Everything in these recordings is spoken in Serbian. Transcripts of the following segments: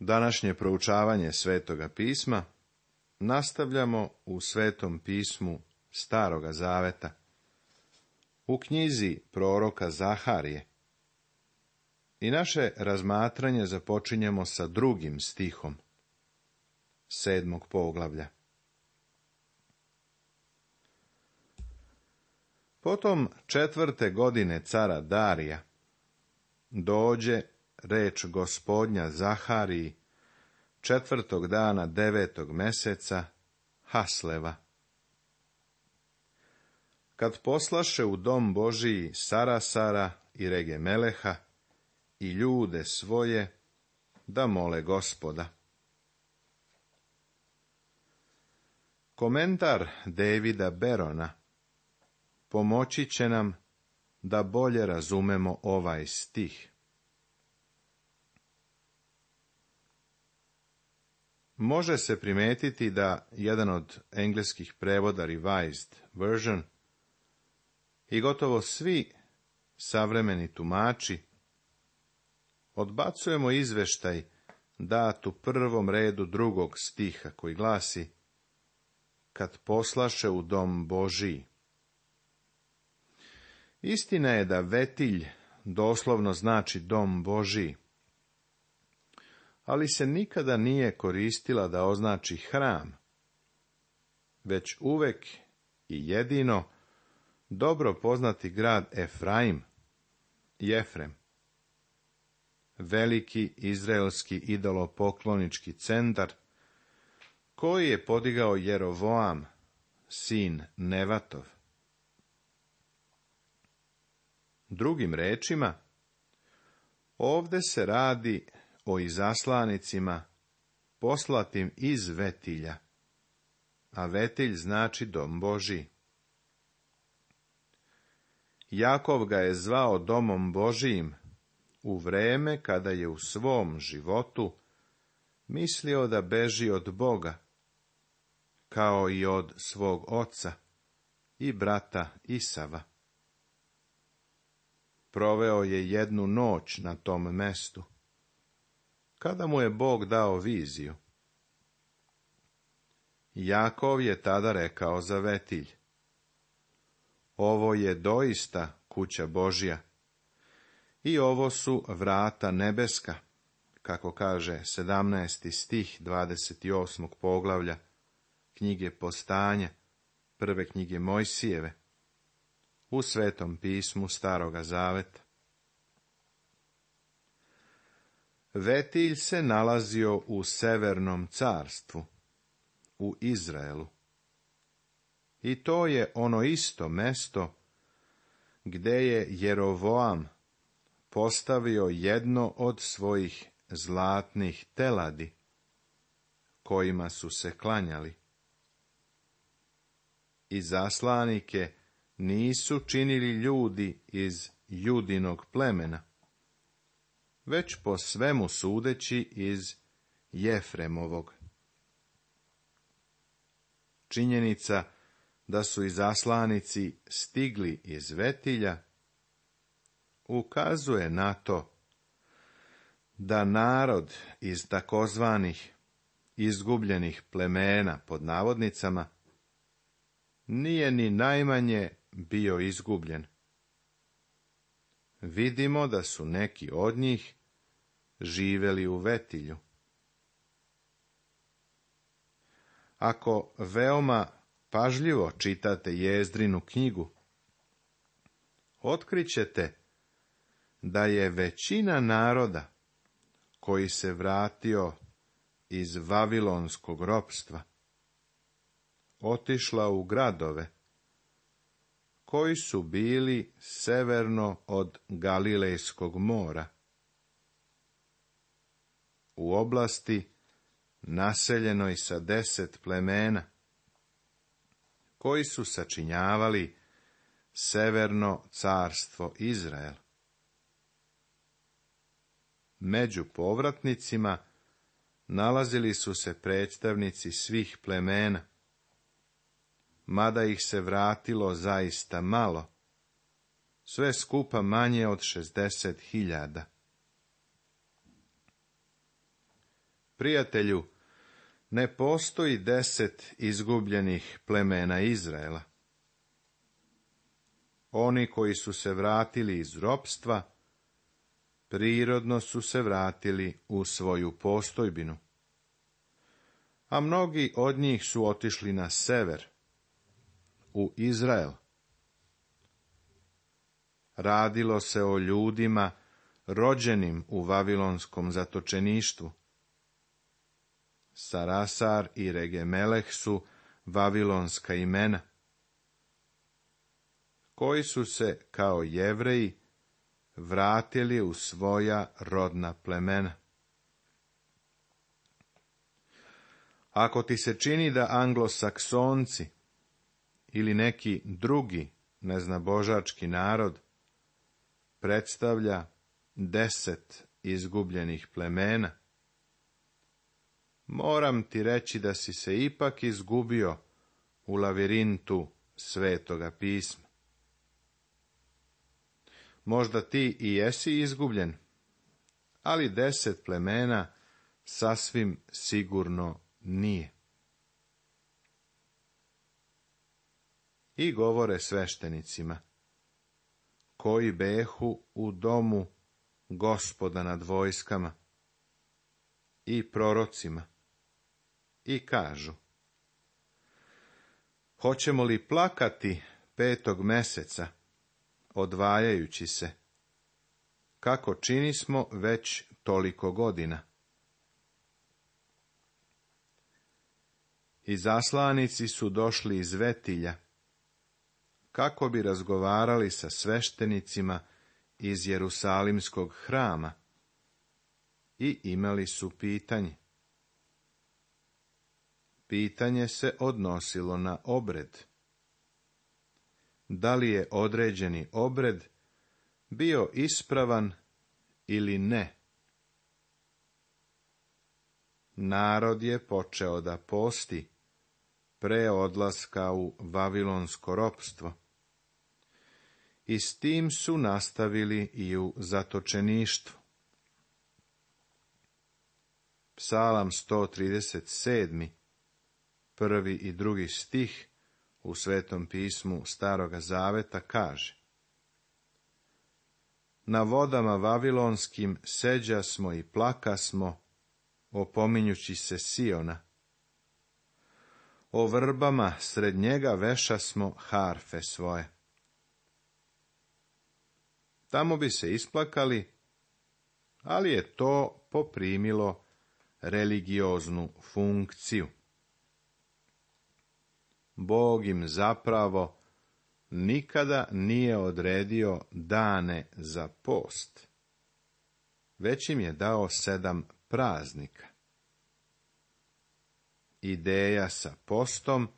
Današnje proučavanje Svetoga pisma nastavljamo u Svetom pismu Staroga zaveta, u knjizi proroka Zaharije. I naše razmatranje započinjemo sa 2. stihom 7. poglavlja. Potom 4. godine cara Darija dođe reč Gospodnja Zahariji 4. dana 9. meseca Hasleva. Kad poslaše u dom Božiji Sarasara i Regemeleha i ljude svoje da mole Gospoda. Komentar Davida Berona pomoći će nam da bolje razumemo ovaj stih. Može se primetiti da jedan od engleskih prevoda Revised Version i gotovo svi savremeni tumači odbacujemo izveštaj dat u 1. redu 2. stiha koji glasi kad poslaše u dom Božiji. Istina je da vetilj doslovno znači dom Božiji, ali se nikada nije koristila da označi hram, već uvek i jedino dobro poznati grad Efraim, Jefrem, veliki izraelski idolopoklonički centar, koji je podigao Jerovoam, sin Nevatov. Drugim rečima, ovde se radi o izaslanicima poslatim iz vetilja, a vetilj znači dom Božiji. Jakov ga je zvao domom Božijim u vreme kada je u svom životu mislio da beži od Boga, kao i od svog oca i brata Isava. Proveo je jednu noć na tom mestu, kada mu je Bog dao viziju. Jakov je tada rekao za vetilj: ovo je doista kuća Božja i ovo su vrata nebeska, kako kaže 17. stih 28. poglavlja knjige Postanja, prve knjige Mojsijeve, u Svetom pismu Staroga zaveta. Vetilj se nalazio u Severnom carstvu, u Izraelu. I to je ono isto mesto gde je Jerovoam postavio jedno od svojih zlatnih teladi, kojima su se klanjali. I zaslanike nisu činili ljudi iz Judinog plemena, već po svemu sudeći iz Jefremovog. Činjenica da su izaslanici stigli iz vetilja ukazuje na to da narod iz takozvanih izgubljenih plemena pod navodnicama nije ni najmanje bio izgubljen. Vidimo da su neki od njih živeli u vetilju. Ako veoma pažljivo čitate Jezdrinu knjigu, otkrićete da je većina naroda koji se vratio iz vavilonskog ropstva otišla u gradove koji su bili severno od Galilejskog mora, u oblasti naseljenoj sa 10 plemena, koji su sačinjavali severno carstvo Izrael. Među povratnicima nalazili su se predstavnici svih plemena, mada ih se vratilo zaista malo, sve skupa manje od 60.000. Prijatelju, ne postoji 10 izgubljenih plemena Izraela. Oni koji su se vratili iz ropstva, prirodno su se vratili u svoju postojbinu. A mnogi od njih su otišli na sever, u Izrael. Radilo se o ljudima rođenim u vavilonskom zatočeništvu. Sarasar i Regemeleh su vavilonska imena, koji su se kao Jevreji vratili u svoja rodna plemena. Ako ti se čini da anglosaksonci ili neki drugi neznabožački narod predstavlja 10 izgubljenih plemena, moram ti reći da si se ipak izgubio u lavirintu Svetoga pisma. Možda ti i jesi izgubljen, ali 10 plemena sasvim sigurno nije. I govore sveštenicima, koji behu u domu Gospoda nad vojskama, i prorocima, i kažu: hoćemo li plakati 5. meseca, odvajajući se, kako činismo već toliko godina? Izaslanici su došli iz Vetilja, kako bi razgovarali sa sveštenicima iz Jerusalimskog hrama, i imali su pitanje. Pitanje se odnosilo na obred. Da li je određeni obred bio ispravan ili ne? Narod je počeo da posti pre odlaska u vavilonsko ropstvo, i s tim su nastavili i u zatočeništvu. Psalam 137, 1. i 2. stih u Svetom pismu Staroga Zaveta kaže: na vodama vavilonskim seđasmo i plakasmo, opominjući se Siona. O vrbama sred njega vešasmo harfe svoje. Tamo bi se isplakali, ali je to poprimilo religioznu funkciju. Bog im zapravo nikada nije odredio dane za post, već im je dao 7 praznika. Ideja sa postom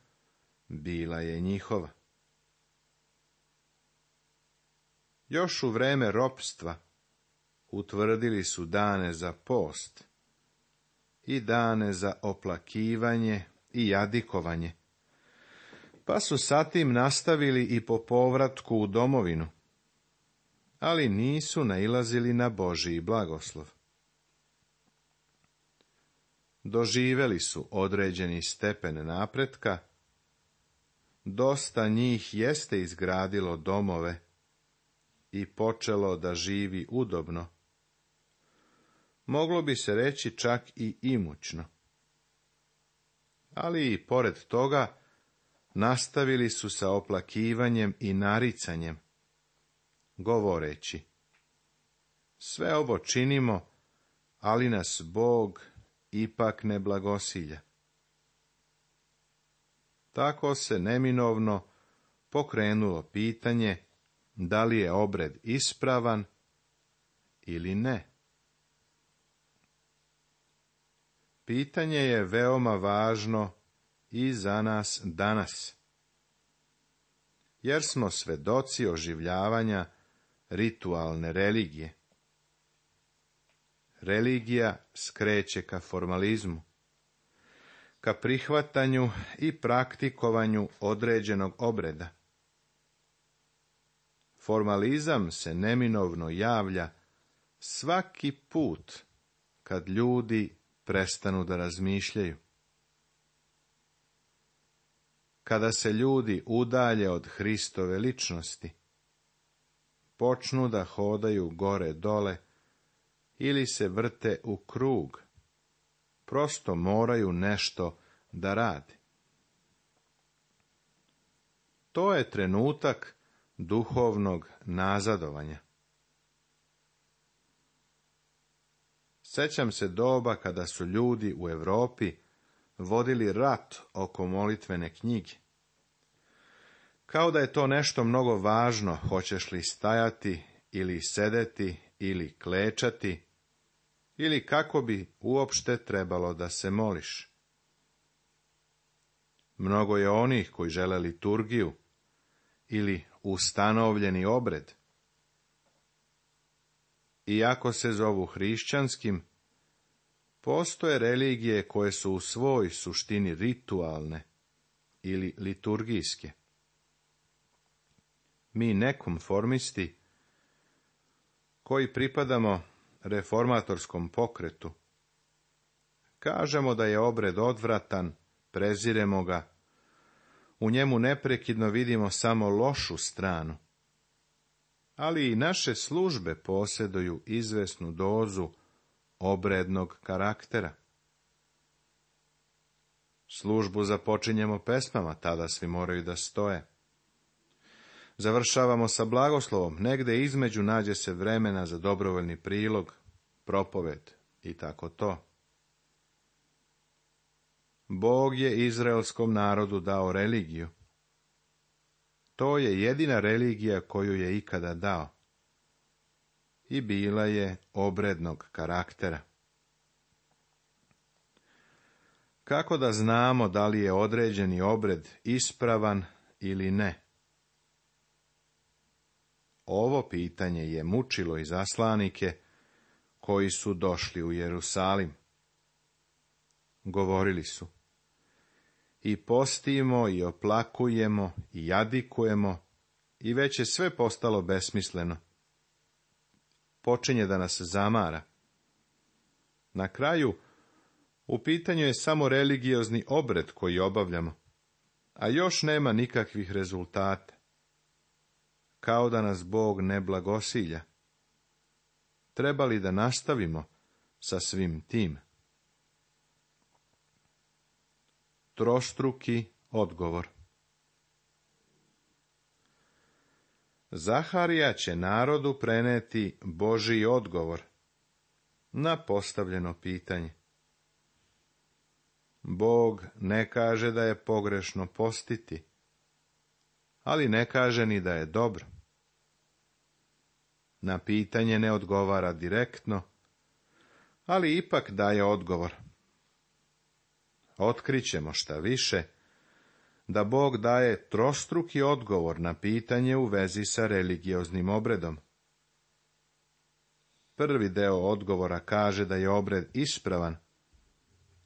bila je njihova. Još u vreme ropstva utvrdili su dane za post i dane za oplakivanje i jadikovanje, pa su sa tim nastavili i po povratku u domovinu, ali nisu nailazili na Božji blagoslov. Doživeli su određeni stepen napretka, dosta njih jeste izgradilo domove i počelo da živi udobno, moglo bi se reći čak i imućno. Ali i pored toga nastavili su sa oplakivanjem i naricanjem, govoreći: sve ovo činimo, ali nas Bog ipak ne blagosilja. Tako se neminovno pokrenulo pitanje da li je obred ispravan ili ne. Pitanje je veoma važno i za nas danas, jer smo svedoci oživljavanja ritualne religije. Religija skreće ka formalizmu, ka prihvatanju i praktikovanju određenog obreda. Formalizam se neminovno javlja svaki put kad ljudi prestanu da razmišljaju. Kada se ljudi udalje od Hristove ličnosti, počnu da hodaju gore dole ili se vrte u krug, prosto moraju nešto da rade. To je trenutak duhovnog nazadovanja. Sećam se doba kada su ljudi u Europi vodili rat oko molitvene knjige. Kao da je to nešto mnogo važno, hoćeš li stajati ili sedeti ili klečati, ili kako bi uopšte trebalo da se moliš. Mnogo je onih koji žele liturgiju ili ustanovljeni obred. Iako se zovu hrišćanskim, postoje religije koje su u svoj suštini ritualne ili liturgijske. Mi nekonformisti, koji pripadamo reformatorskom pokretu, kažemo da je obred odvratan, preziremo ga, u njemu neprekidno vidimo samo lošu stranu, ali i naše službe posjeduju izvesnu dozu obrednog karaktera. Službu započinjemo pesmama, tada svi moraju da stoje. Završavamo sa blagoslovom, negde između nađe se vremena za dobrovoljni prilog, propoved i tako to. Bog je izraelskom narodu dao religiju. To je jedina religija koju je ikada dao. I bila je obrednog karaktera. Kako da znamo da li je određeni obred ispravan ili ne? Ovo pitanje je mučilo izaslanike koji su došli u Jerusalim. Govorili su: i postimo, i oplakujemo, i jadikujemo, i već je sve postalo besmisleno. Počinje da nas zamara. Na kraju, u pitanju je samo religiozni obred koji obavljamo, a još nema nikakvih rezultata. Kao da nas Bog ne blagosilja. Treba li da nastavimo sa svim tim? Trostruki odgovor. Zaharija će narodu preneti Božji odgovor na postavljeno pitanje. Bog ne kaže da je pogrešno postiti, ali ne kaže ni da je dobro. Na pitanje ne odgovara direktno, ali ipak daje odgovor. Otkrićemo šta više, da Bog daje trostruki odgovor na pitanje u vezi sa religioznim obredom. Prvi deo odgovora kaže da je obred ispravan,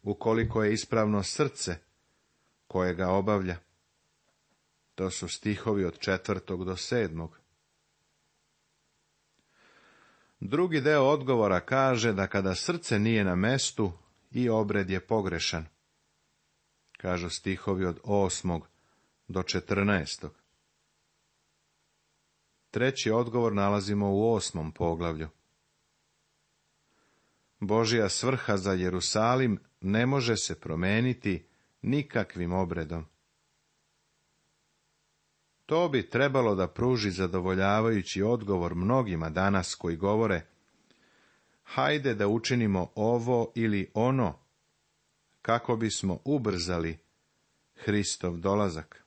ukoliko je ispravno srce koje ga obavlja. To su stihovi od 4. do 7. Drugi deo odgovora kaže da kada srce nije na mestu, i obred je pogrešan. Kažu stihovi od 8. do 14. Treći odgovor nalazimo u 8. poglavlju. Božja svrha za Jerusalim ne može se promeniti nikakvim obredom. To bi trebalo da pruži zadovoljavajući odgovor mnogima danas koji govore: hajde da učinimo ovo ili ono, kako bismo ubrzali Hristov dolazak.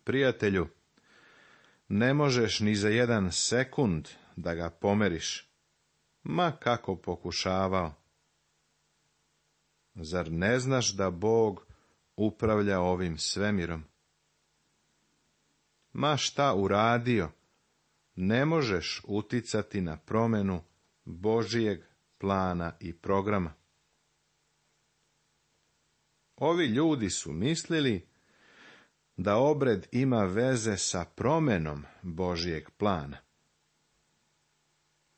Prijatelju, ne možeš ni za 1 sekund da ga pomeriš, ma kako pokušavao. Zar ne znaš da Bog upravlja ovim svemirom? Ma šta uradio, ne možeš uticati na promenu Božijeg plana i programa. Ovi ljudi su mislili da obred ima veze sa promenom Božijeg plana.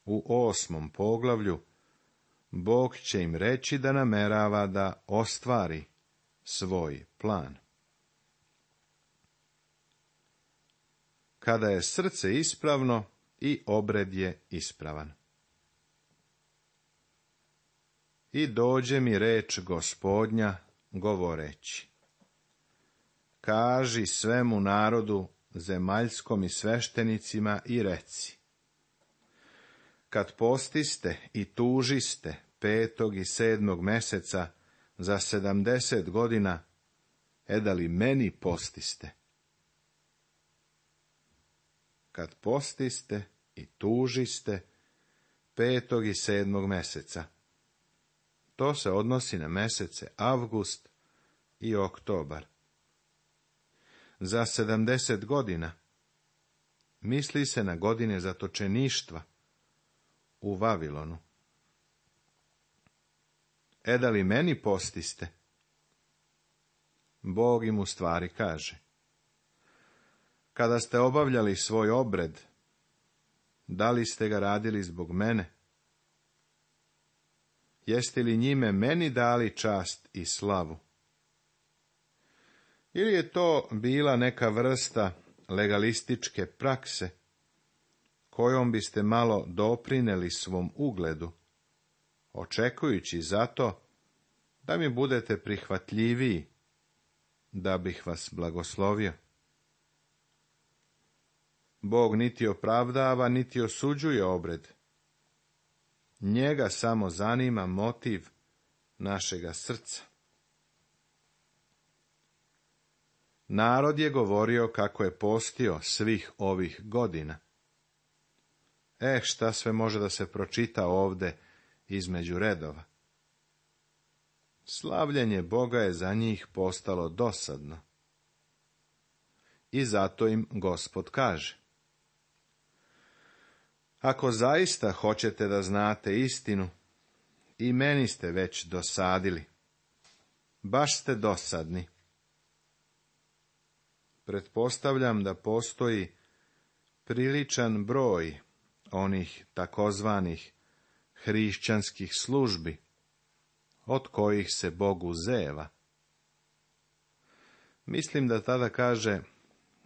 U 8. poglavlju Bog će im reći da namerava da ostvari svoj plan. Kada je srce ispravno, i obred je ispravan. I dođe mi reč Gospodnja, govoreći: kaži svemu narodu zemaljskom i sveštenicima i reci: kad postiste i tužiste 5. i 7. meseca za 70 godina, da li meni postiste? Kad postiste i tužiste 5. i 7. meseca. To se odnosi na mesece avgust i oktobar. Za 70 godina misli se na godine zatočeništva u Vavilonu. Da li meni postiste? Bog im u stvari kaže: kada ste obavljali svoj obred, da li ste ga radili zbog mene? Jeste li njime meni dali čast i slavu? Ili je to bila neka vrsta legalističke prakse, kojom biste malo doprineli svom ugledu, očekujući zato da mi budete prihvatljiviji, da bih vas blagoslovio? Bog niti opravdava, niti osuđuje obred. Njega samo zanima motiv našega srca. Narod je govorio kako je postio svih ovih godina. Šta sve može da se pročita ovde između redova. Slavljenje Boga je za njih postalo dosadno. I zato im Gospod kaže: ako zaista hoćete da znate istinu, i meni ste već dosadili. Baš ste dosadni. Pretpostavljam da postoji priličan broj onih takozvanih hrišćanskih službi, od kojih se Bogu zeva. Mislim da tada kaže: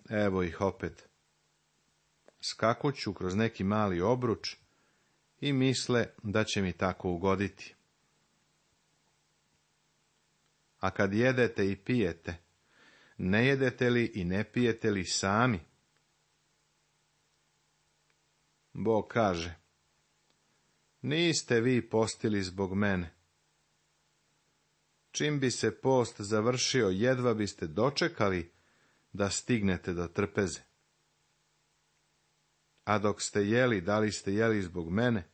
evo ih opet. Skakuću kroz neki mali obruč i misle da će mi tako ugoditi. A kad jedete i pijete, ne jedete li i ne pijete li sami? Bog kaže: niste vi postili zbog mene. Čim bi se post završio, jedva biste dočekali da stignete do trpeze. A dok ste jeli, da li ste jeli zbog mene?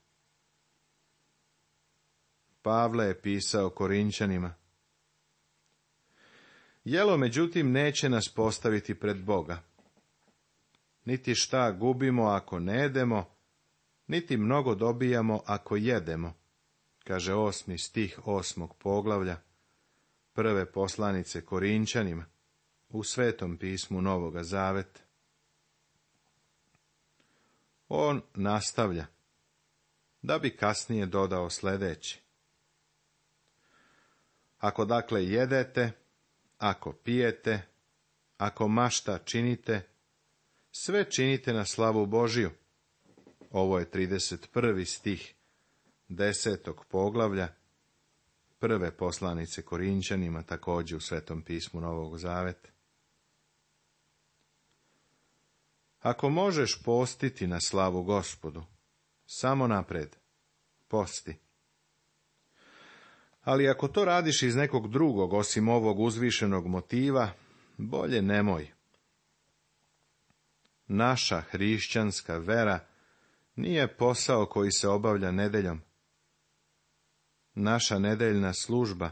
Pavle je pisao Korinćanima: jelo, međutim, neće nas postaviti pred Boga. Niti šta gubimo ako ne jedemo, niti mnogo dobijamo ako jedemo, kaže 8. stih 8. poglavlja 1. poslanice Korinćanima u Svetom pismu Novoga Zaveta. On nastavlja, da bi kasnije dodao sljedeće: ako dakle jedete, ako pijete, ako mašta činite, sve činite na slavu Božiju. Ovo je 31. stih 10. poglavlja 1. poslanice Korinćanima, također u Svetom pismu Novog Zaveta. Ako možeš postiti na slavu Gospodu, samo napred, posti. Ali ako to radiš iz nekog drugog, osim ovog uzvišenog motiva, bolje nemoj. Naša hrišćanska vera nije posao koji se obavlja nedeljom. Naša nedeljna služba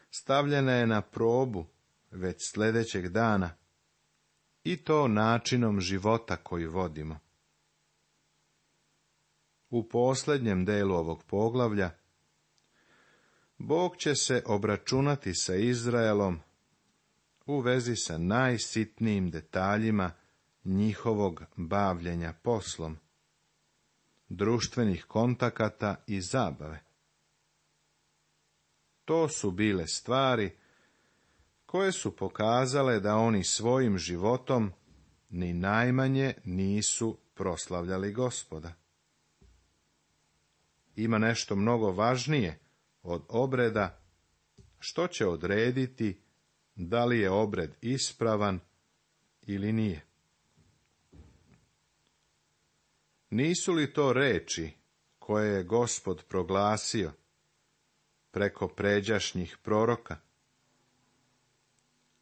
stavljena je na probu već sljedećeg dana, i to načinom života koji vodimo. U posljednjem delu ovog poglavlja Bog će se obračunati sa Izraelom u vezi sa najsitnijim detaljima njihovog bavljenja poslom, društvenih kontakata i zabave. To su bile stvari koje su pokazale da oni svojim životom ni najmanje nisu proslavljali Gospoda. Ima nešto mnogo važnije od obreda, što će odrediti da li je obred ispravan ili nije. Nisu li to reči koje je Gospod proglasio preko pređašnjih proroka?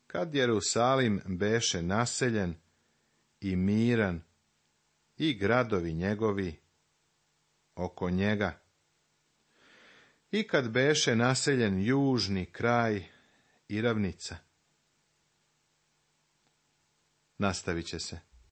Kad Jerusalim beše naseljen i miran i gradovi njegovi oko njega, i kad beše naseljen južni kraj i ravnica. Nastavit će se.